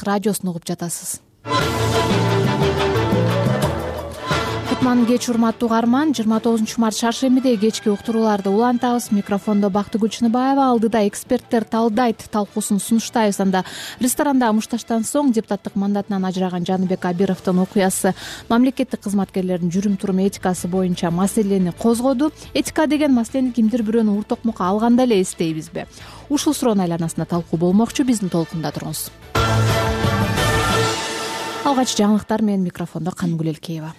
радиосун угуп жатасыз. Кутман кеч урматтуу угарман. 29 март шаршембиде кечки уктурууларды улантабыз. Микрофондо Бактыгүл Чыныбаева, алдыда эксперттер талдайт талкуусун сунуштайбыз. Анда ресторанда мушташтан соң депутаттык мандатынан ажыраган Жаныбек Абировдун окуясы мамлекеттик кызматкерлердин жүрүм-турум этикасы боюнча маселени козгоду. Этика деген маселени кимдир бирөөнү ур токмокко алганда эле эстейбизби? Ушул суроонун айланасында талкуу болмокчу. Биздин толкунда туруңуз. Алгач жаңылыктар менен микрофондо Канымгүл Элкеева.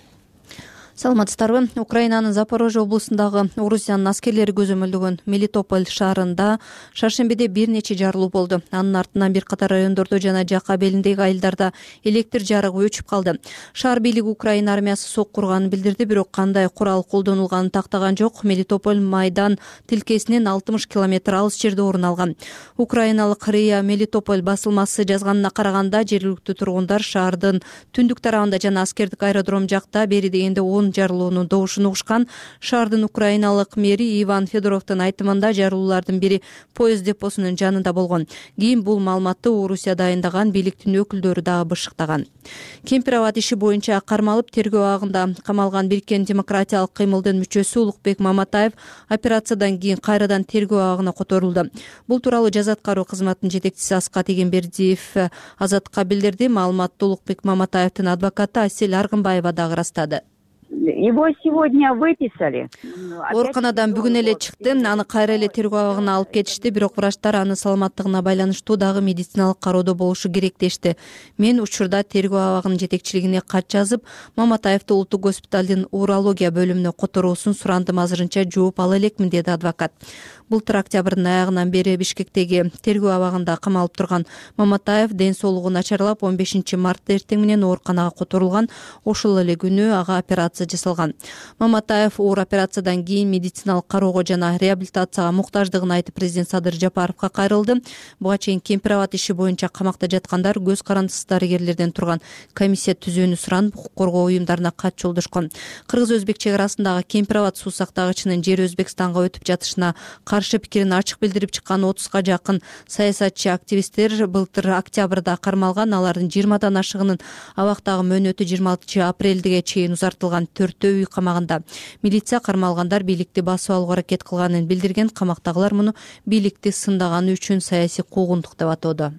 Саламатсыздарбы? Украинанын Запорожье облусундагы Орусиянын аскерлери көзөмөлдөгөн Мелитополь шаарында шаршембиде бир нече жарылуу болду. Анын артынан бир катар райондордо жана жак абелиндеги айылдарда электр жарыгы өчүп калды. Шаар бийлиги Украина армиясы сок курганын билдирди, бирок кандай курал колдонулганын тактаган жок. Мелитополь майдан тилкесинен 60 километр алыс жерде орун алган. Украиналык РИА Мелитополь басылмасы жазганына караганда, жергиликтүү тургундар шаардын түндүк тарабында жана аскердик аэродром жакта бери дегенде 10 жарылуунун добушун угушкан. Шаардын украиналык мэри Иван Федоровдун айтымында жарылуулардын бири поезд депосунун жанында болгон. Кийин бул маалыматты Орусия дайындаган бийликтин өкүлдөрү дагы бышыктаган. Кемпир-абад иши боюнча кармалып тергөө абагында камалган Бириккен демократиялык кыймылдын мүчөсү Улукбек Маматаев операциядан кийин кайрадан тергөө абагына которулду. Бул тууралуу жаза аткаруу кызматынын жетекчиси Аскат Эгембердиев Азаттыкка билдирди. Маалыматты Улукбек Маматаевдин адвокаты Асель Аргынбаева дагы ырастады. Его сегодня выписали. Ооруканадан бүгүн эле чыкты. Аны кайра эле тергөө абагына алып кетишти, бирок врачтар анын саламаттыгына байланыштуу дагы медициналык кароодо болушу керек дешти. Мен учурда тергөө абагынын жетекчилигине кат жазып, Маматаевди улуттук госпиталдын урология бөлүмүнө которуусун сурандым. Азырынча жооп ала элекмин, деди адвокат. Былтыр октябрдын аягынан бери Бишкектеги тергөө абагында камалып турган Маматаев ден соолугу начарлап 15 мартта эртең менен ооруканага которулган. Ошол эле күнү ага операция жасалган. Маматаев оор операциядан кийин медициналык кароого жана реабилитацияга муктаждыгын айтып, президент Садыр Жапаровго кайрылды. Буга чейин Кемпир-абад иши боюнча камакта жаткандар көз карандысыз дарыгерлерден турган комиссия түзүүнү суранып, укук коргоо уюмдарына кат жолдошкон. Кыргыз-өзбек чек арасындагы Кемпир-абад суу сактагычынын жери Өзбекстанга өтүп жатышына каршы пикирин ачык билдирип чыккан 30га жакын саясатчы активисттер былтыр октябрда кармалган. Алардын 20дан ашыгынын абактагы мөөнөтү 26 апрелге чейин узартылган. 4 үй камагында. Милиция кармалгандар бийликти басып алууга аракет кылганын билдирген. Камактагылар муну бийликти сындаганы үчүн саясий куугунтук деп атоодо.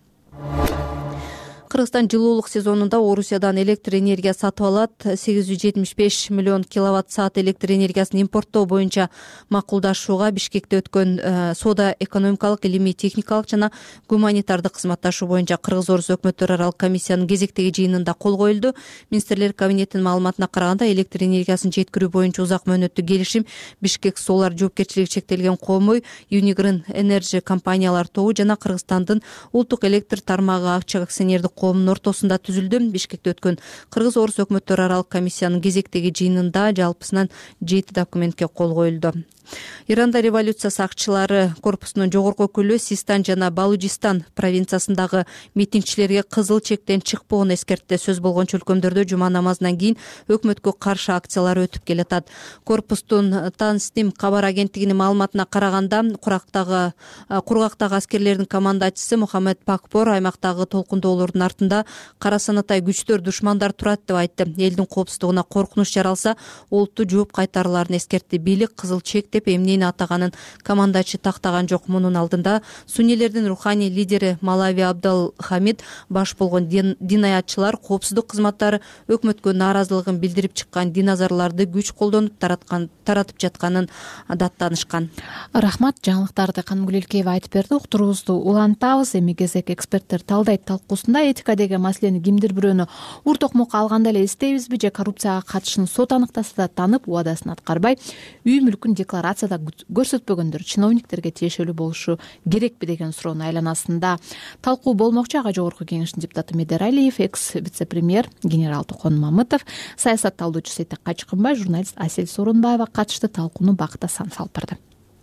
Кыргызстан жылуулук сезонунда Орусиядан электр энергия сатып алат. 875 миллион киловатт-саат электр энергиясын импорттоо боюнча макулдашууга Бишкекте өткөн соода экономикалык, илимий, техникалык жана гуманитардык кызматташуу боюнча Кыргыз-Орус өкмөттөр аралык комиссиянын кезектеги жыйынында кол коюлду. Министрлер кабинетинин маалыматына караганда, электр энергиясын жеткирүү боюнча узак мөөнөттүү келишим Бишкек Суулар жоопкерчилиги чектелген коомой, Unigrin Energy компаниялар тобу жана Кыргызстандын улуттук электр тармагы акча акционердик коомунун ортосунда түзүлдү. Бишкекте өткөн Кыргыз-Орус өкмөттөр аралык комиссиянын кезектеги жыйынында жалпысынан 7 документке кол коюлду. Иранда революция сакчылары корпусунун жогорку өкүлү Систан жана Балуджистан провинциясындагы митингчилерге кызыл чектен чыкпоон эскертти. Сөз болгончу өлкөмдөрдө жума намазынан кийин өкмөткө каршы акциялар өтүп келатат. Корпустун Танстим кабар агенттигинин маалыматына караганда, кургактагы аскерлердин командачысы Мухаммед Пакпор аймактагы толкундоолордун артында кара санатай күчтөр, душмандар турат деп айтты. Элдин коопсуздугуна коркунуч жаралса, олуттуу жооп кайтарыларын эскертти. Бийлик кызыл чек деп эмнени атаганын командачы тактаган жок. Мунун алдында суннилердин руханий лидери Малави Абдал Хамид баш болгон динаятчылар коопсуздук кызматтары өкмөткө нааразылыгын билдирип чыккан диназарларды күч колдонуп таратып жатканын даттанышкан. Рахмат, жаңылыктарды Канымгүл Элкеева айтып берди. Уктуруубузду улантабыз. Эми кезек эксперттер талдайт талкуусунда этика деген маселени кимдир бирөөнү ур токмокко алганда эле эстейбизби же коррупцияга катышын сот аныктаса да танып, убадасын аткарбай, үй мүлкүн декларацияда көрсөтпөгөндөр чиновниктерге тиешелүү болушу керекпи деген суроонун айланасында талкуу болмокчу. Ага жогорку кеңештин депутаты Медер Алиев, экс вице-премьер генерал Токон Мамытов, саясат талдоочу Сейтек Качкынбай, журналист Асель Сооронбаева катышты. Талкууну Бакыт Асанов алып барды.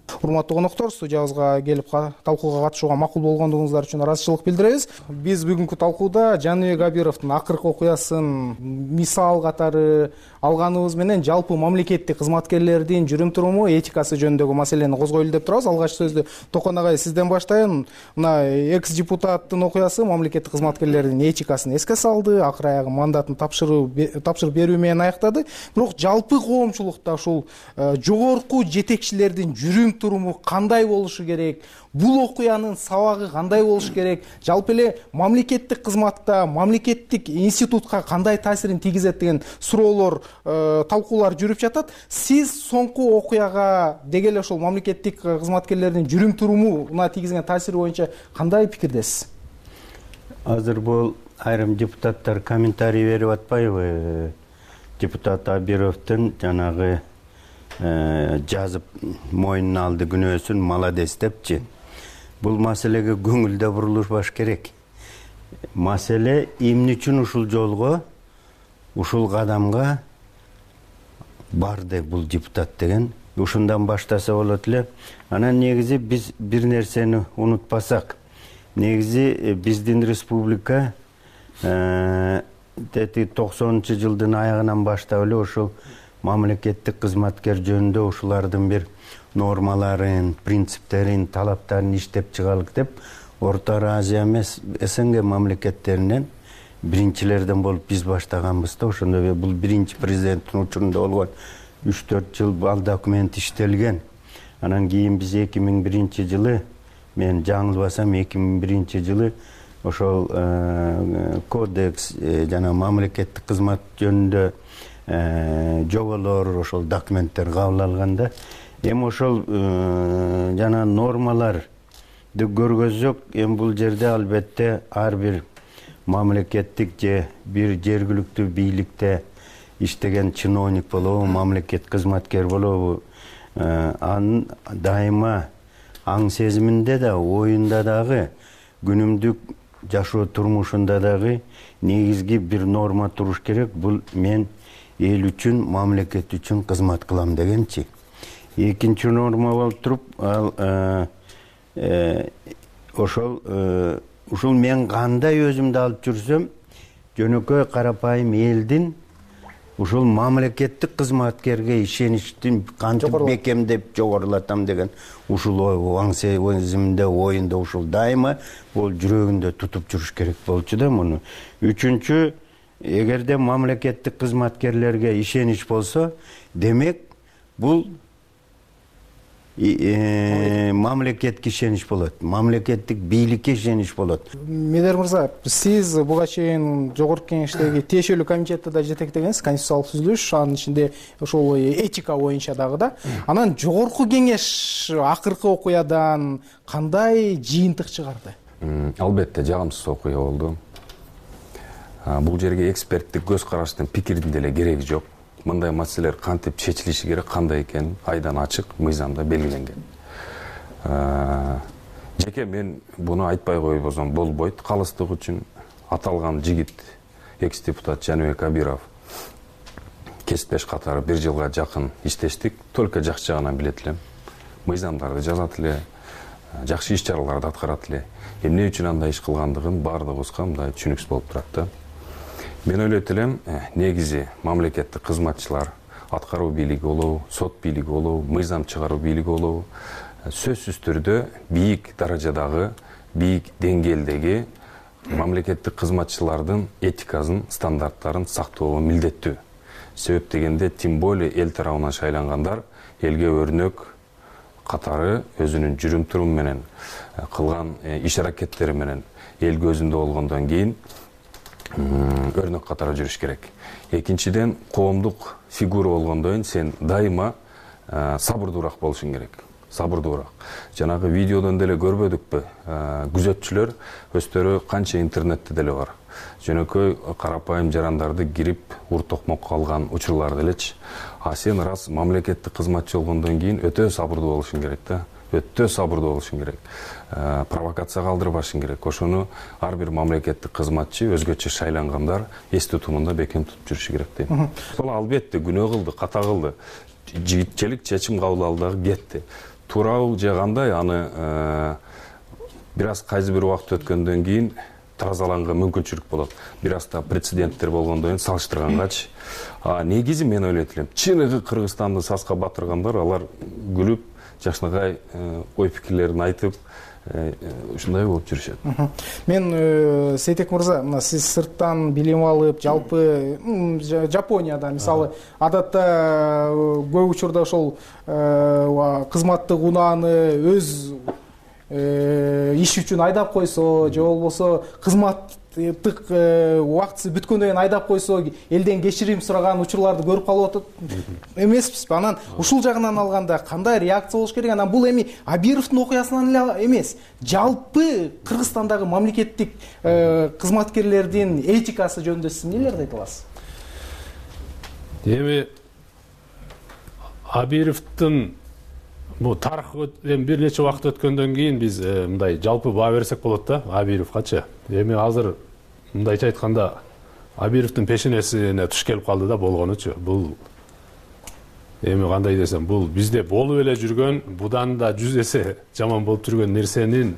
Урматтуу коноктор, студиябызга келип талкууга катышууга макул болгондугуңуздар үчүн ыраазычылык билдиребиз. Биз бүгүнкү талкууда Жаныбек Абировдун акыркы окуясын мисал катары алганыбыз менен жалпы мамлекеттик кызматкерлердин жүрүм туруму, этикасы жөнүндөгү маселени козгойлу деп турабыз. Алгач сөздү Токон агай сизден баштайын. Мына экс-депутаттын окуясы мамлекеттик кызматкерлердин этикасын эске салды, акыры аягы мандатын тапшырып берүү менен аяктады. Бирок жалпы коомчулукта ушул жогорку жетекчилердин жүрүм туруму кандай болушу керек? Бул окуянын сабагы кандай болушу керек? Жалпы эле мамлекеттик кызматта, мамлекеттик институтка кандай таасирин тийгизет деген суроолор, талкуулар жүрүп жатат. Сиз соңку окуяга деги эле ошол мамлекеттик кызматкерлердин жүрүм турумуна тийгизген таасири боюнча кандай пикирдесиз? Азыр бул айрым депутаттар комментарий берип атпайбы? Депутат Абировдун жанагы жазып мойнуна алды күнөөсүн, молодец депчи. Бул маселеге көңүлдө бурулушпаш керек. Маселе эмне үчүн ушул жолго, ушул кадамга барды бул депутат деген. Ушундан баштаса болот эле. Анан негизи биз бир нерсени унутпасак, негизи биздин республика 90-жылдын аягынан баштап эле ушул мамлекеттик кызматкер жөнүндө ушулардын бир нормаларын, принциптерин, талаптарын иштеп чыгалык деп Орто Азия эмес СНГ мамлекеттеринен биринчилерден болуп биз баштаганбыз да. Ошондо бул биринчи президенттин учурунда болгон 3-4 жыл ал документ иштелген. Анан кийин биз 2001-жылы, мен жаңылбасам 2001-жылы ошол кодекс жана мамлекеттик кызмат жөнүндө жоболор, ошол документтер кабыл алганда, эми ошол жана нормаларды көргөзсөк, эми бул жерде албетте ар бир мамлекеттик же бир жергиликтүү бийликте иштеген чиновник болобу, мамлекет кызматкер болобу, анын дайыма аң сезиминде да, оюнда дагы, күнүмдүк жашоо турмушунда дагы негизги бир норма туруш керек. Бул мен эл үчүн, мамлекет үчүн кызмат кылам дегенчи. Экинчи норма болуп туруп, ал ушул мен кандай өзүмдү алып жүрсөм, жөнөкөй карапайым элдин ушул мамлекеттик кызматкерге ишеничтин кантип бекемдеп жогорулатам деген ушул аң сезиминде, оюнда ушул дайыма бул жүрөгүндө тутуп жүрүш керек болчу да муну. Үчүнчү, эгерде мамлекеттик кызматкерлерге ишенич болсо, демек бул мамлекетке ишенич болот, мамлекеттик бийликке ишенич болот. Медер мырза, сиз буга чейин жогорку кеңештеги тиешелүү комитетти да жетектегенсиз, конституциялык түзүлүш, анын ичинде ошол этика боюнча дагы да. Анан жогорку кеңеш акыркы окуядан кандай жыйынтык чыгарды? Албетте жагымсыз окуя болду. Бул жерге эксперттик көз караштын, пикирдин деле кереги жок. Мындай маселелер кантип чечилиши керек, кандай экени айдан ачык мыйзамда белгиленген. Жеке мен буну айтпай койбосом болбойт. Калыстык үчүн аталган жигит, экс-депутат Жаныбек Абиров кесиптеш катары 1 жылга жакын иштештик. Только жакшы жагынан билет элем. Мыйзамдарды жазат эле, жакшы иш-чараларды аткарат эле. Эмне үчүн андай иш кылгандыгын баардыгыбызга мындай түшүнүксүз болуп турат да. Мен ойлойт элем, негизи мамлекеттик кызматчылар, аткаруу бийлиги болобу, сот бийлиги болобу, мыйзам чыгаруу бийлиги болобу, сөзсүз түрдө бийик даражадагы, бийик деңгээлдеги мамлекеттик кызматчылардын этикасын, стандарттарын сактоого милдеттүү. Себеп дегенде, тем более эл тарабынан шайлангандар элге өрнөк катары өзүнүн жүрүм туруму менен, кылган иш-аракеттери менен эл көзүндө болгондон кийин өрнөк катары жүрүш керек. Экинчиден, коомдук фигура болгондон кийин сен дайыма сабырдуураак болушуң керек. Сабырдуураак. Жанагы видеодон деле көрбөдүкпү? Күзөтчүлөр өздөрү канча интернетте деле бар. Жөнөкөй карапайым жарандарды кирип ур-токмокко алган учурлар делечи. А сен раз мамлекеттик кызматчы болгондон кийин өтө сабырдуу болушуң керек да. Өтө сабырдуу болушуң керек. Провокация калтырбашың керек. Ошону ар бир мамлекеттик кызматчы өзгөчө шайлангандар эс тутумунда бекем тутуп жүрүшү керек дейм. Сол албетте күнөө кылды, ката кылды. Жигитчелик чечим кабыл алды, кетти. туурабы же кандай аны бир аз кайсы бир убакыт өткөндөн кийин тазаланга мүмкүнчүлүк болот. Бир аз да прецеденттер болгондон кийин салыштыргангачы. Негизи мен ойлойт элем, чыныгы Кыргызстанды саска батыргандар алар күлүп, жакшынакай ой пикирлерин айтып, ушундай болуп жүрүшөт. Мен Сейтек мырза, мына сиз сырттан билим алып, жалпы Жапонияда мисалы адатта көп учурда ошол кызматтык унааны өз иш үчүн айдап койсо же болбосо кызматтык убактысы бүткөндөн кийин айдап койсо элден кечирим сураган учурларды көрүп калып атат эмеспизби? Анан ушул жагынан алганда кандай реакция болуш керек? Анан бул эми Абировдун окуясынан эле эмес, жалпы Кыргызстандагы мамлекеттик кызматкерлердин этикасы жөнүндө сиз эмнелерди айта аласыз? Эми Абировдун бул тарых бир нече убакыт өткөндөн кийин биз мындай жалпы баа берсек болот да Абировгачы. Эми азыр мындайча айтканда Абировдун пешенесине туш келип калды да болгонучу. Бул эми кандай десем, бул бизде болуп эле жүргөн, будан да 100 эсе жаман болуп жүргөн нерсенин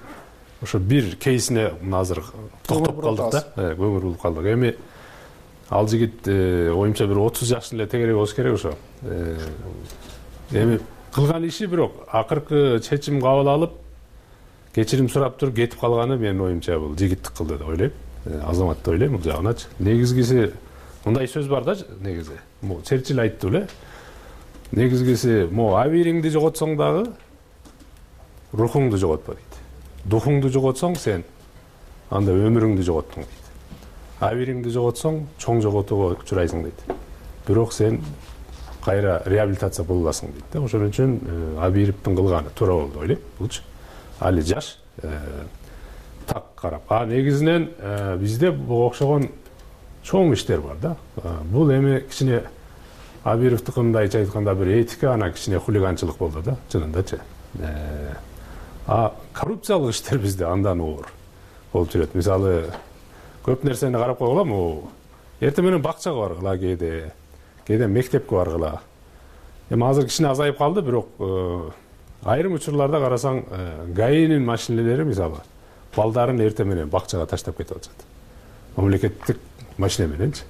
ошо бир кейсине азыр токтоп калдык да. Көңүл буруп калдык. Эми ал жигит оюмча бир 30 жаштын эле тегерек болуш керек ошо. Эми кылган иши бирок акыркы чечим кабыл алып кечирим сурап туруп кетип калганы менин оюмча бул жигиттик кылды деп ойлойм. Азамат деп ойлойм бул жагыначы. Негизгиси мындай сөз бар да, негизи. Черчилль айтты беле. Негизгиси абириңди жоготсоң дагы рухуңду жоготпо дейт. Духуңду жоготсоң сен анда өмүрүңдү жоготтуң дейт. Абириңди жоготсоң чоң жоготууга учурайсың дейт. Бирок сен кайра реабилитация боло аласың дейт да. Ошон үчүн Абировдун кылганы туура болду деп ойлойм. Булчу али жаш так карап. Негизинен бизде буга окшогон чоң иштер бар да. Бул эми кичине Абировдуку мындайча айтканда бир этика, ана кичине хулиганчылык болду да, чынындачы. Коррупциялык иштер бизде андан оор болуп жүрөт. Мисалы, көп нерсени карап койгула, эртең менен бакчага баргыла кээде мектепке баргыла. Эми азыр кичине азайып калды, бирок айрым учурларда карасаң, ГАИнин машинелери мисалы балдарын эртең менен бакчага таштап кетип атышат. Мамлекеттик машина мененчи.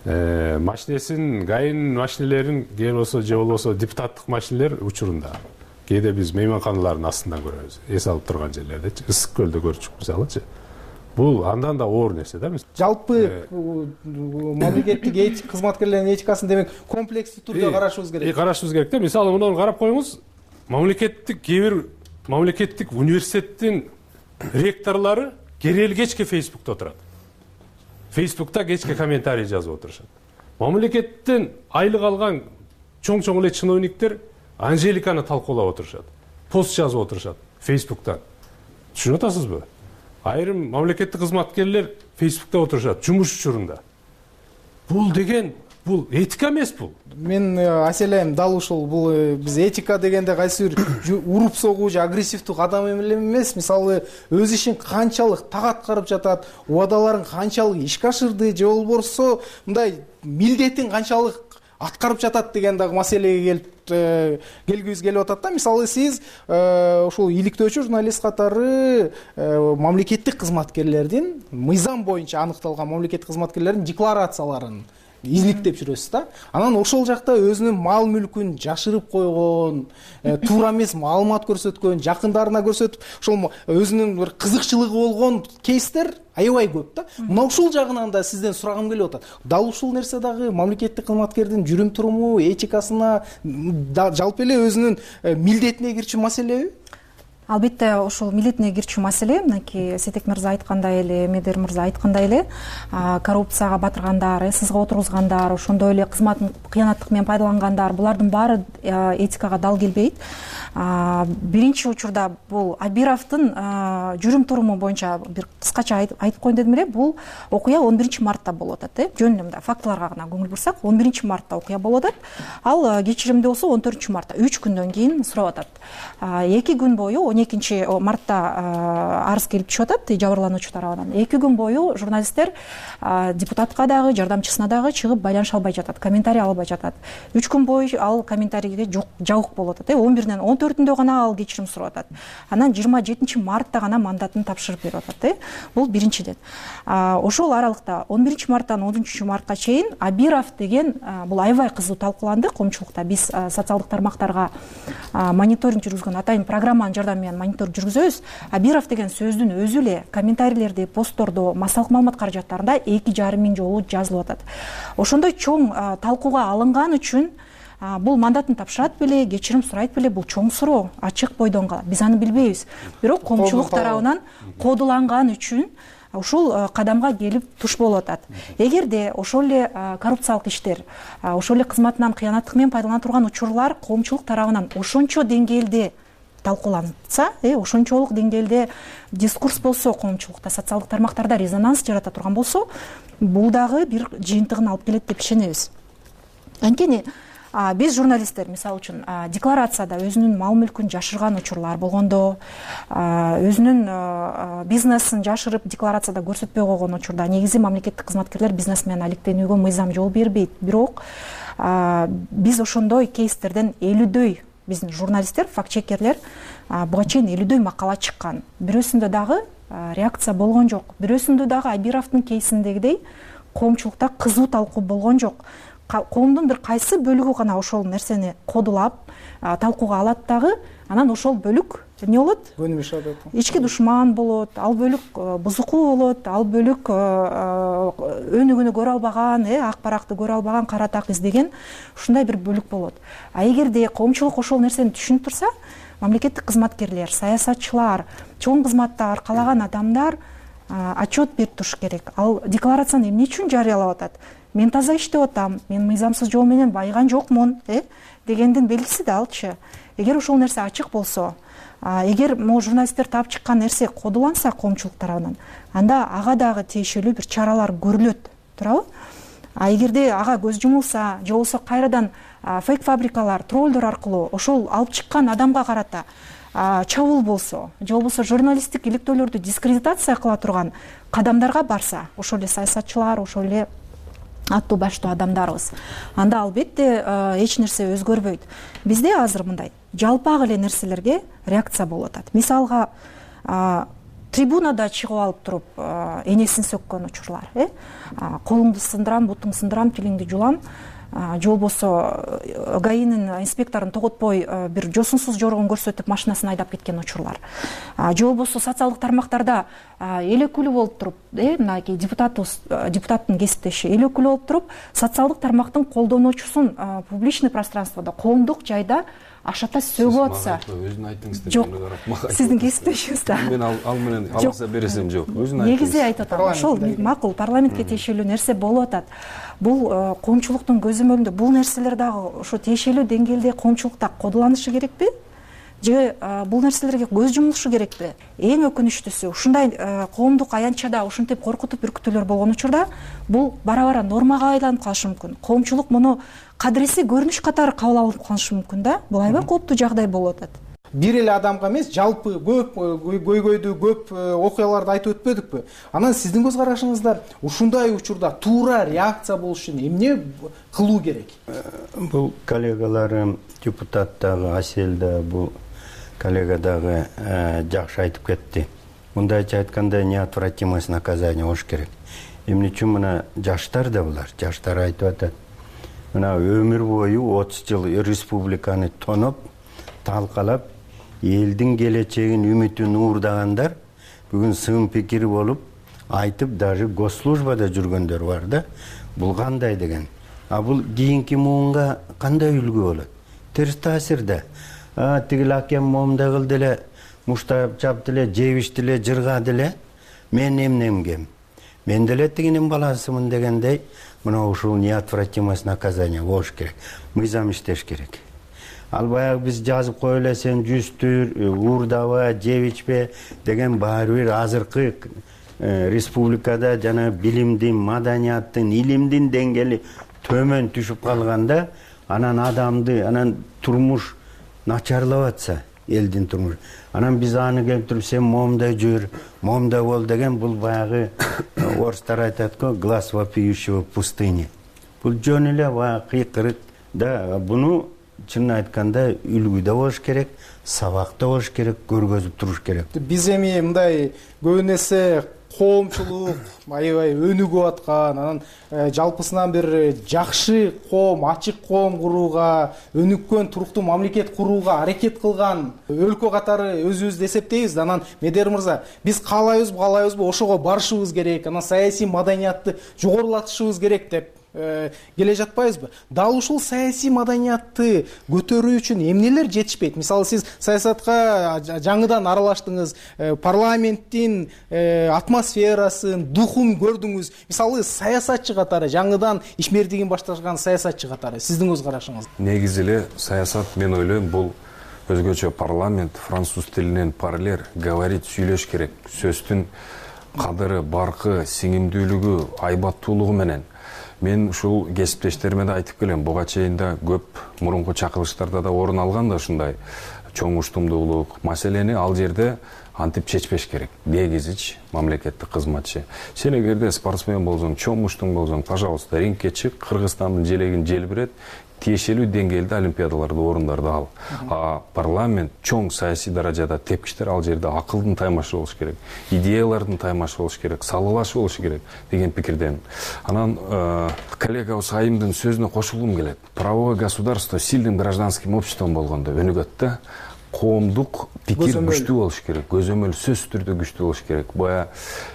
Машинесин, ГАИнин машинелерин же болбосо депутаттык машинелер учурунда кээде биз мейманканалардын астынан көрөбүз, эс алып турган жерлердечи, Ысык көлдө көрчүк мисалычы. Бул андан да оор нерсе да. Жалпы мамлекеттик кызматкерлердин этикасын демек комплекстүү түрдө карашыбыз керек. Карашыбыз керек да. Мисалы муну карап коюңуз, мамлекеттик университеттин ректорлору керели кечке Фейсбукта отурат. Фейсбукта кечке комментарий жазып отурушат. Мамлекеттен айлык алган чоң эле чиновниктер Анжеликаны талкуулап отурушат. Пост жазып отурушат Фейсбуктан. Түшүнүп атасызбы? Айрым мамлекеттик кызматкерлер Фейсбукта отурушат жумуш учурунда. Бул деген бул этика эмес бул. Мен аселем дал ушул бул биз этика дегенде кайсы бир уруп согуу же агрессивдүү кадам эмес. Мисалы, өз ишин канчалык так аткарып жатат, убадаларын канчалык ишке ашырды же болбосо мындай милдетин канчалык аткарып жатат деген дагы маселеге келгибиз келип атат да. Мисалы, сиз ушул иликтөөчү журналист катары мамлекеттик кызматкерлердин мыйзам боюнча аныкталган мамлекеттик кызматкерлердин декларацияларын изиликтеп жүрөсүз да. Анан ошол жакта өзүнүн мал мүлкүн жашырып койгон, туура эмес маалымат көрсөткөн, жакындарына көрсөтүп, ошол өзүнүн бир кызыкчылыгы болгон кейстер аябай көп да. Мына ушул жагынан да сизден сурагым келип атат. Дал ушул нерсе дагы мамлекеттик кызматкердин жүрүм туруму, этикасына, жалпы эле өзүнүн милдетине кирчү маселеби? Албетте ошол милдетине кирчү маселе. Мынакей Сейтек мырза айткандай эле, Медер мырза айткандай эле, коррупцияга батыргандар, сызга отургузгандар, ошондой эле кызматын кыянаттык менен пайдалангандар, булардын баары этикага дал келбейт. Биринчи учурда бул Абировдун жүрүм туруму боюнча бир кыскача айтып коеюн дедим эле. Бул окуя 11-мартта болуп атат. Жөн эле мындай фактыларга гана көңүл бурсак, 11-мартта окуя болуп атат. Ал кечиримди болсо 14-мартта, 3 күндөн кийин сурап атат. 2 күн бою 12 мартта арыз келип түшүп атат жабырлануучу тарабынан. 2 күн бою журналисттер депутатка дагы, жардамчысына дагы чыгып байланыша албай жатат, комментарий албай жатат. 3 күн бою ал комментарийге жабык болуп атат. 11-ден 14-үндө гана ал кечирим сурап атат. Анан 27 мартта гана мандатын тапшырып берип атат. Бул биринчиден. Ошол аралыкта 11 марттан 13 мартка чейин Абиров деген бул аябай кызуу талкууланды коомчулукта. Биз социалдык тармактарга мониторинг жүргүзгөн атайын программанын жардамы менен мониторинг жүргүзөбүз. Абиров деген сөздүн өзү эле комментарийлерде, посттордо, массалык маалымат каражаттарында 2,5 миң жолу жазылып атат. Ошондой чоң талкууга алынган үчүн бул мандатын тапшырат беле, кечирим сурайт беле, бул чоң суроо, ачык бойдон калат. Биз аны билбейбиз. Бирок коомчулук тарабынан кодуланган үчүн ушул кадамга келип туш болуп атат. Эгерде ошол эле коррупциялык иштер, ошол эле кызматынан кыянаттык менен пайдалана турган учурлар коомчулук тарабынан ошончо деңгээлде талкууланса, ошончолук деңгээлде дискурс болсо, коомчулукта, социалдык тармактарда резонанс жарата турган болсо, бул дагы бир жыйынтыгын алып келет деп ишенебиз. Анткени биз журналисттер, мисалы үчүн, декларацияда өзүнүн мал мүлкүн жашырган учурлар болгондо, өзүнүн бизнесин жашырып декларацияда көрсөтпөй койгон учурда негизи мамлекеттик кызматкерлер бизнес менен алектенүүгө мыйзам жол бербейт. Бирок биз ошондой кейстерден 50дөй, биздин журналисттер, факт-чекерлер буга чейин 50дөй макала чыккан. Бирөөсүндө дагы реакция болгон жок. Бирөөсүндө дагы Абировдун кейсиндегидей коомчулукта кызуу талкуу болгон жок. Коомдун бир кайсы бөлүгү гана ошол нерсени кодулап талкууга алат дагы, анан ошол бөлүк эмне болот? Ички душман болот, ал бөлүк бузукуу болот, ал бөлүк өнүгүүнү көрө албаган, ак баракты көрө албаган, кара так издеген ушундай бир бөлүк болот. Эгерде коомчулук ошол нерсени түшүнүп турса, мамлекеттик кызматкерлер, саясатчылар, чоң кызматта аркалаган адамдар отчет берип туруш керек. Ал декларацияны эмне үчүн жарыялап атат? Мен таза иштеп атам, мен мыйзамсыз жол менен байыган жокмун, дегендин белгиси да алчы. Эгер ошол нерсе ачык болсо, эгер могу журналисттер таап чыккан нерсе кодуланса коомчулук тарабынан, анда ага дагы тиешелүү бир чаралар көрүлөт, туурабы? Эгерде ага көз жумулса, же болбосо кайрадан фейк фабрикалар, троллдор аркылуу ошол алып чыккан адамга карата чабуул болсо, же болбосо журналисттик иликтөөлөрдү дискредитация кыла турган кадамдарга барса, ошол эле саясатчылар, ошол эле аттуу баштуу адамдарыбыз, анда албетте эч нерсе өзгөрбөйт. Бизде азыр мындай жалпак эле нерселерге реакция болуп атат. Мисалга, трибунада чыгып алып туруп энесин сөккөн учурлар, колуңду сындырам, бутуңду сындырам, тилиңди жулам, же болбосо ГАИнин инспекторун тоготпой бир жосунсуз жоргон көрсөтүп машинасын айдап кеткен учурлар, же болбосо социалдык тармактарда эл өкүлү болуп туруп, мынакей депутаттын кесиптеши эл өкүлү болуп туруп, социалдык тармактын колдонуучусун публичный пространстводо, коомдук жайда ашата сөгүп атса. Өзүн айтыңыз деп жок, сиздин кесиптешиңиз да. Мен ал менен аласа бересем жок. Өзүн айтыңыз. Негизи айтып атам, ошол макул, парламентке тиешелүү нерсе болуп атат. Бул коомчулуктун көзөмөлүндө бул нерселер дагы ошо тиешелүү деңгээлде коомчулукта кодуланышы керекпи? Же бул нерселерге көз жумулушу керекпи? Эң өкүнүчтүүсү, ушундай коомдук аянтчада ушинтип коркутуп үркүтүүлөр болгон учурда бул бара-бара нормага айланып калышы мүмкүн. Коомчулук муну кадыресий көрүнүш катары кабыл алып калышы мүмкүн да. Бул аябай кооптуу жагдай болуп атат. Бир эле адамга эмес, жалпы көп көйгөйдү, көп окуяларды айтып өтпөдүкпү? Анан сиздин көз карашыңызда ушундай учурда туура реакция болуш үчүн эмне кылуу керек? Бул коллегаларым, депутат дагы, Асель да, бул коллега дагы жакшы айтып кетти. Мындайча айтканда, неотвратимость наказания болуш керек. Эмне үчүн мына жаштар да булар, жаштар айтып атат. Мына өмүр бою 30 жыл республиканы тоноп, талкалап, элдин келечегин, үмүтүн уурдагандар бүгүн сын пикир болуп, айтып, даже госслужбада жүргөндөр бар да. Бул кандай деген? Бул кийинки муунга кандай үлгү болот? Терс таасир да. Тигил акем момундай кылды эле, муштап чапты эле, жебишти эле, жыргады эле. Мен эмнемгем? Мен деле тигинин баласымын дегендей, мына ушул неотвратимость наказания болуш керек. Мыйзам иштеш керек. Ал баягы биз жазып кое эле, сен жүзтүр, уурдаба, жебичпе деген баары бир азыркы республикада жана билимдин, маданияттын, илимдин деңгээли төмөн түшүп калганда, анан адамды, анан турмуш начарлап атса, элдин турмушу. Анан биз аны келтирип сен момундай жүр, момундай бол деген бул баягы орустар айтат го, глаз вопиющего в пустыне. Бул жөн эле баягы кыйкырык да. Буну чынын айтканда үлгүдө болуш керек, сабакта болуш керек, көргөзүп туруш керек. Биз эми мындай көбүн эсе коомчулук аябай өнүгүп аткан, анан жалпысынан бир жакшы коом, ачык коом курууга, өнүккөн туруктуу мамлекет курууга аракет кылган өлкө катары өзүбүздү эсептейбиз. Анан Медер мырза, биз каалайбызбы ошого барышыбыз керек, анан саясий маданиятты жогорулатышыбыз керек деп келе жатпайбызбы? Дал ушул саясий маданиятты көтөрүү үчүн эмнелер жетишпейт? Мисалы, сиз саясатка жаңыдан аралаштыңыз, парламенттин атмосферасын, духун көрдүңүз. Мисалы, саясатчы катары, жаңыдан ишмердигин баштаган саясатчы катары сиздин көз карашыңыз? Негизи эле саясат, мен ойлойм, бул өзгөчө парламент, француз тилинен парлер, говорить, сүйлөш керек. Сөздүн кадыры, баркы, сиңимдүүлүгү, айбаттуулугу менен. Мен ушул кесиптештериме да айтып келем. Буга чейин да көп мурунку чакырылыштарда да орун алган да ушундай чоң уштумдуулук маселени ал жерде антип чечпеш керек. Негизичи мамлекеттик кызматчы. Сен эгерде спортсмен болсоң, чоң уштуң болсоң, пожалуйста, рингке чык, Кыргызстандын желегин желбирет, тиешелүү деңгээлде олимпиадаларды, орундарды ал. Парламент чоң саясий даражада тепкичтер ал жерде акылдын таймашы болуш керек, идеялардын таймашы болуш керек, салгылашы болуш керек деген пикирдемин. Анан коллегабыз Айымдын сөзүнө кошулгум келет. Правовое государство сильным гражданским обществом болгондо өнүгөт да. Коомдук пикир күчтүү болуш керек, көзөмөл сөзсүз түрдө күчтүү болуш керек. Боя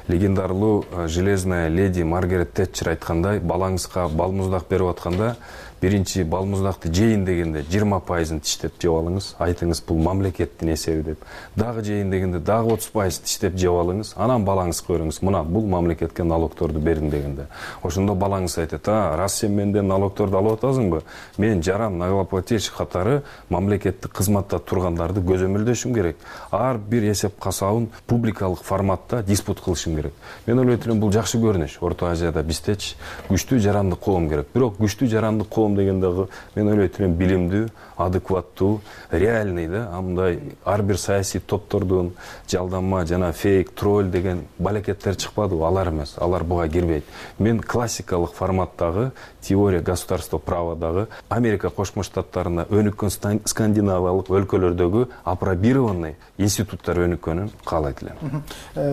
легендарлуу железная леди Маргарет Тэтчер айткандай, балаңызга балмуздак берип атканда биринчи балмуздакты жейин дегенде 20% тиштеп жеп алыңыз, айтыңыз бул мамлекеттин эсеби деп. Дагы жейин дегенде дагы 30% тиштеп жеп алыңыз, анан балаңызга бериңиз, мына бул мамлекетке налогторду бердим дегенде. Ошондо балаңыз айтат: раз сен менден налогторду алып атасыңбы, мен жаран налогоплательщик катары мамлекеттик кызматта тургандарды көзөмөлдөшүм керек. Ар бир эсеп касабын публикалык форматта диспут кылышым керек. Мен ойлойт элем, бул жакшы көрүнүш. Орто Азияда биздечи күчтүү жарандык коом керек. Бирок күчтүү жарандык коом дегендеги мен ойлойт элем билимдүү, адекваттуу, реальный да, мындай ар бир саясий топтордун жалданма жана фейк, тролль деген балекеттер чыкпадыбы? Алар эмес, алар буга кирбейт. Мен классикалык форматтагы теория государства праводагы Америка Кошмо Штаттарында өнүккөн скандинавиялык өлкөлөрдөгү апробированный институттар өнүккөнүн каалайт элем.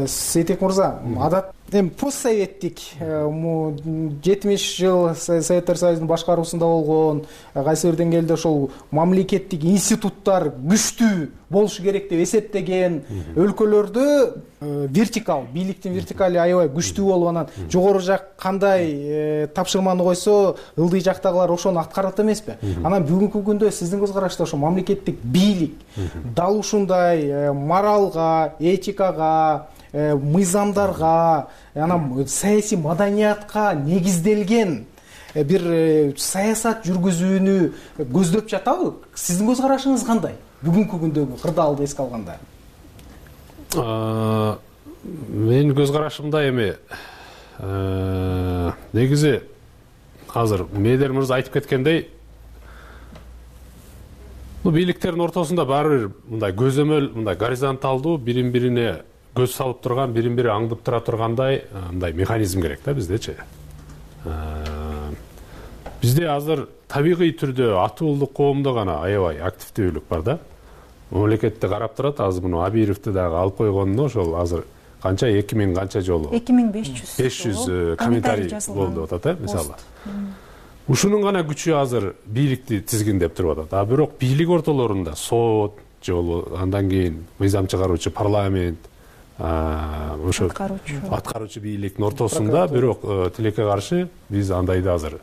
Сейтек мырза, адат постсоветтик 70 жыл Советтер Союзунун башкаруусунда болгон, кайсы бир деңгээлде ошол мамлекеттик институттар күчтүү болушу керек деп эсептеген өлкөлөрдө вертикал, бийликтин вертикали аябай күчтүү болуп, анан жогору жак кандай тапшырманы койсо, ылдый жактагылар ошону аткарат эмеспи? Анан бүгүнкү күндө сиздин көз карашта ошо мамлекеттик бийлик дал ушундай моралга, этикага, мыйзамдарга, анан саясий маданиятка негизделген бир саясат жүргүзүүнү көздөп жатабы? Сиздин көз карашыңыз кандай? Бүгүнкү күндөгү кырдаалды эске алганда. Менин көз карашымда эми негизи азыр Медер мырза айтып кеткендей, бийликтердин ортосунда баары бир мындай көзөмөл, мындай горизонталдуу, бирин-бирине көз салып турган, бирин-бири аңдып тура тургандай мындай механизм керек да биздечи. Бизде азыр табигый түрдө атуулдук коомдо гана аябай активдүүлүк бар да. Мамлекетти карап турат, азыр муну Абировду дагы алып койгонуна ошол азыр канча 2000 канча жолу 2500 комментарий болду атат, мисалы. Ушунун гана күчү азыр бийликти тизгиндеп туруп атат. А бирок бийлик ортолорунда сот жолу, андан кийин мыйзам чыгаруучу парламент, ошо аткаруучу бийликтин ортосунда бирок тилекке каршы биз андайды азыр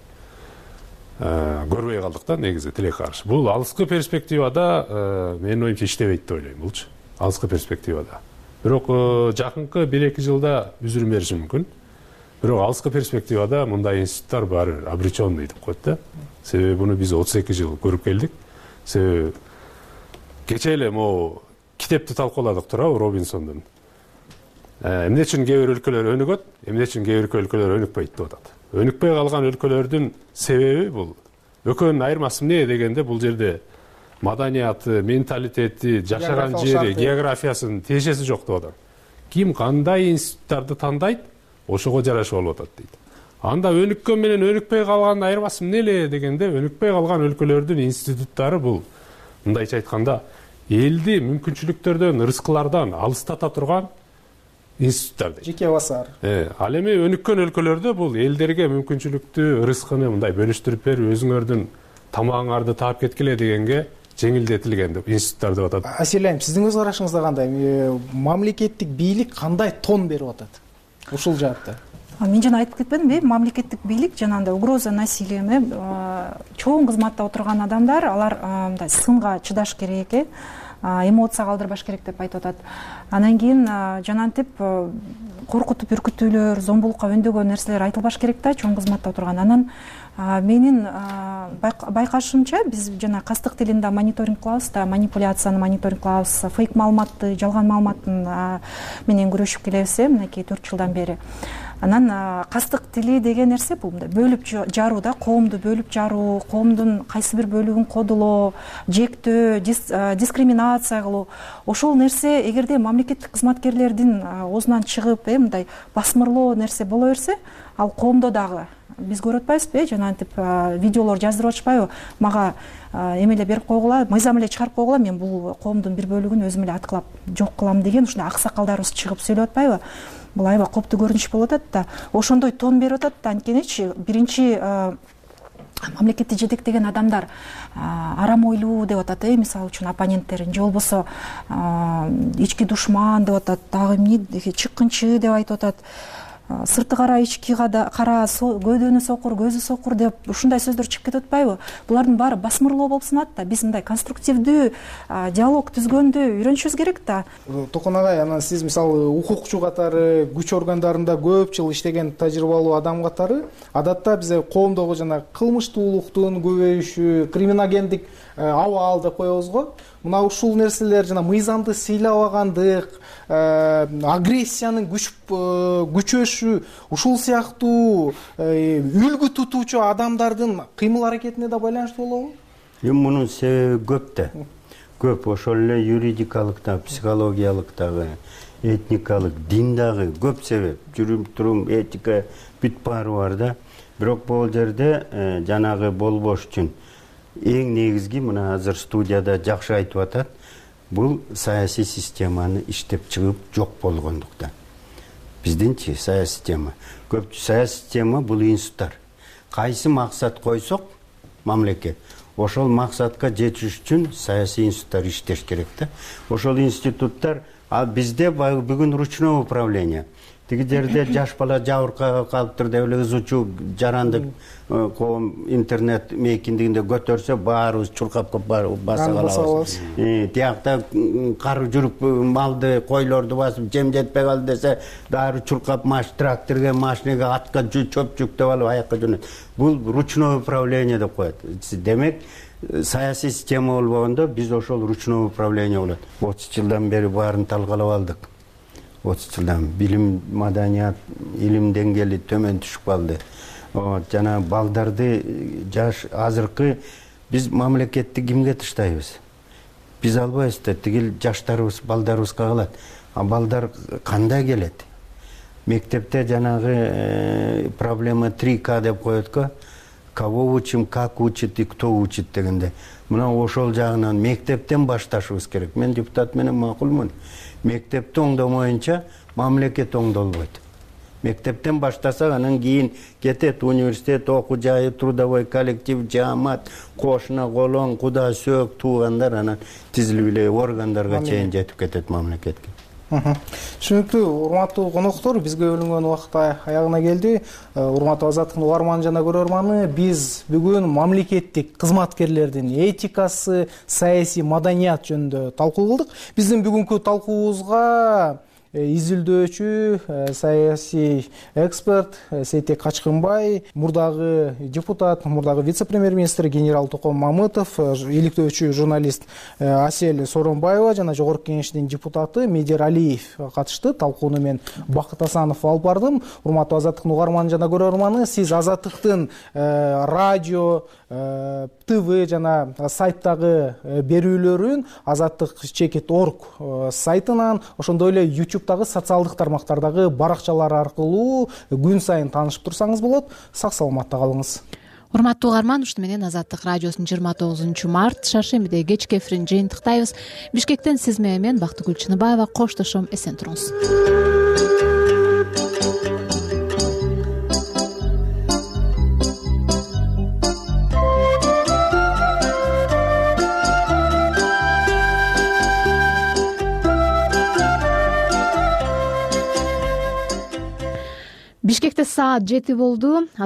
көрбөй калдык да, негизи тилекке каршы. Бул алыскы перспективада менин оюмча иштебейт деп ойлойм булчу. Алыскы перспективада. Бирок жакынкы 1-2 жылда үзүрүм бериши мүмкүн. Бирок алыскы перспективада мындай институттар баары обреченный деп коет да. Себеби буну биз 32 жыл көрүп келдик. Себеби кече эле могу китепти талкууладык туурабы Робинсондун. Эмне үчүн кээ бир өлкөлөр өнүгөт, эмне үчүн кээ бир өлкөлөр өнүкпөйт деп атат. Өнүкпөй калган өлкөлөрдүн себеби бул. Экөөнүн айырмасы эмне дегенде, бул жерде маданияты, менталитети, жашаган жери, географиясынын тиешеси жок деп атат. Ким кандай институттарды тандайт, ошого жараша болуп атат дейт. Анда өнүккөн менен өнүкпөй калгандын айырмасы эмне эле дегенде, өнүкпөй калган өлкөлөрдүн институттары бул мындайча айтканда элди мүмкүнчүлүктөрдөн, ырыскылардан алыстата турган институттар дейт. Жеке басар. Ал эми өнүккөн өлкөлөрдө бул элдерге мүмкүнчүлүктү, ырыскыны мындай бөлүштүрүп берип, өзүңөрдүн тамагыңарды таап кеткиле дегенге жеңилдетилген деп институттар деп атат. Асель айым, сиздин көз карашыңызда кандай? Мамлекеттик бийлик кандай тон берип атат ушул жаатта? Мен жана айтып кетпедимби, мамлекеттик бийлик жанагындай угроза насилияме чоң кызматта отурган адамдар, алар мындай сынга чыдаш керек, эмоция калтырбаш керек деп айтып атат. Анан кийин жанантип коркутуп үркүтүүлөр, зомбулукка өндөгөн нерселер айтылбаш керек да, чоң кызматта отурган. Анан менин байкашымча биз жана кастык тилинде мониторинг кылабыз да, манипуляцияны мониторинг кылабыз, фейк маалыматты, жалган маалыматтын менен күрөшүп келебиз мынакей 4 жылдан бери. Анан кастык тили деген нерсе бул мындай бөлүп жаруу да, коомду бөлүп жаруу, коомдун кайсы бир бөлүгүн кодулоо, жектөө, дискриминация кылуу. Ошол нерсе эгерде мамлекеттик кызматкерлердин оозунан чыгып, мындай басмырлоо нерсе боло берсе, ал коомдо дагы биз көрүп атпайбызбы, жанагынтип видеолор жаздырып атышпайбы, мага эмеле берип койгула, мыйзам эле чыгарып койгула, мен бул коомдун бир бөлүгүн өзүм эле аткылап жок кылам деген ушундай аксакалдарыбыз чыгып сөйлөп атпайбы? Бул аябай коптуу көрүнүш болуп атат да. Ошондой тон берип атат да. Анткенечи биринчи мамлекетти жетектеген адамдар арам ойлуу деп атат, мисалы үчүн оппоненттерин, же болбосо ички душман деп атат, дагы эмне чыккынчы деп айтып атат. Сырты кара, ички кара, көдөнү сокур, көзү сокур деп ушундай сөздөр чыгып кетип атпайбы? Булардын баары басмырлоо болуп саналат да. Биз мындай конструктивдүү диалог түзгөндү үйрөнүшүбүз керек да. Токон агай, анан сиз мисалы укукчу катары, күч органдарында көп жыл иштеген тажрыйбалуу адам катары, адатта бизде коомдогу жана кылмыштуулуктун көбөйүшү, криминогендик абал деп коебуз го. Мына ушул нерселер жана мыйзамды сыйлабагандык, агрессиянын күчөшү, ушул сыяктуу үлгү тутуучу адамдардын кыймыл аракетине да байланыштуу болобу? Мунун себеби көп да. Көп, ошол эле юридикалык да, психологиялык дагы, этникалык, дин дагы көп себеп. Жүрүм-турум, этика бүт баары бар да. Бирок бул жерде жанагы болбош үчүн эң негизги, мына азыр студияда жакшы айтып атат, бул саясий системаны иштеп чыгып жок болгондуктан. Биздинчи саясий система. Көп саясий система бул институттар. Кайсы максат койсок, мамлекет, ошол максатка жетиш үчүн саясий институттар иштеш керек да. Ошол институттар, бизде бүгүн ручное управление. Тиги жерде жаш бала жабыркага калыптыр деп эле ызучу жарандык коом интернет мейкиндигинде көтөрсө баарыбыз чуркап баса калабыз. Тиякта кар жүрүп малды, койлорду басып жем жетпей калды десе, дары чуркап тракторго, машинеге, атка чөп жүктөп алып аякка жөнөт. Бул ручное управление деп коет. Демек, саясий система болбогондо биз ошол ручное управление болот. 30 жылдан бери баарын талкалап алдык. 30 жылдан билим, маданият, илим деңгээли төмөн түшүп калды. Жана балдарды жаш азыркы биз мамлекетти кимге таштайбыз? Биз албайбыз да, тигил жаштарыбыз, балдарыбызга калат. Балдар кандай келет? Мектепте жанагы проблема 3К деп коет го. Кого учим, как учит и кто учит дегенде. Мына ошол жагынан мектептен башташыбыз керек. Мен депутат менен макулмун. Мектепти оңдомоюнча мамлекет оңдолбойт. Мектептен баштасак, анан кийин кетет университет, окуу жайы, трудовой коллектив, жаамат, кошуна, колоң, куда, сөөк, туугандар анан тизилип эле органдарга чейин жетип кетет мамлекетке. Түшүнүктүү, урматтуу коноктор, бизге бөлүнгөн убакыт аягына келди. Урматтуу Азаттыктын угарманы жана көрөрманы, биз бүгүн мамлекеттик кызматкерлердин этикасы, саясий маданият жөнүндө талкуу кылдык. Биздин бүгүнкү талкуубузга изилдөөчү, саясий эксперт Сейтек Качкынбай, мурдагы депутат, мурдагы вице-премьер-министр генерал Током Мамытов, иликтөөчү журналист Асель Сооронбаева жана Жогорку Кеңештин депутаты Медер Алиев катышты. Талкууну мен Бакыт Асанов алып бардым. Урматтуу Азаттыктын угарманы жана көрөрманы, сиз Азаттыктын радио, ТВ жана сайттагы берүүлөрүн azattik.org сайтынан, ошондой эле YouTube'дагы социалдык тармактардагы баракчалар аркылуу күн сайын таанышып турсаңыз болот. Сак саламатта калыңыз. Урматтуу угарман, ушуну менен Азаттык радиосунун 29 март шаршембиде кечки эфирин жыйынтыктайбыз. Бишкектен сиз менен Бактыгүл Чыныбаева коштошом, эсен туруңуз. Бишкекте саат 7 болду.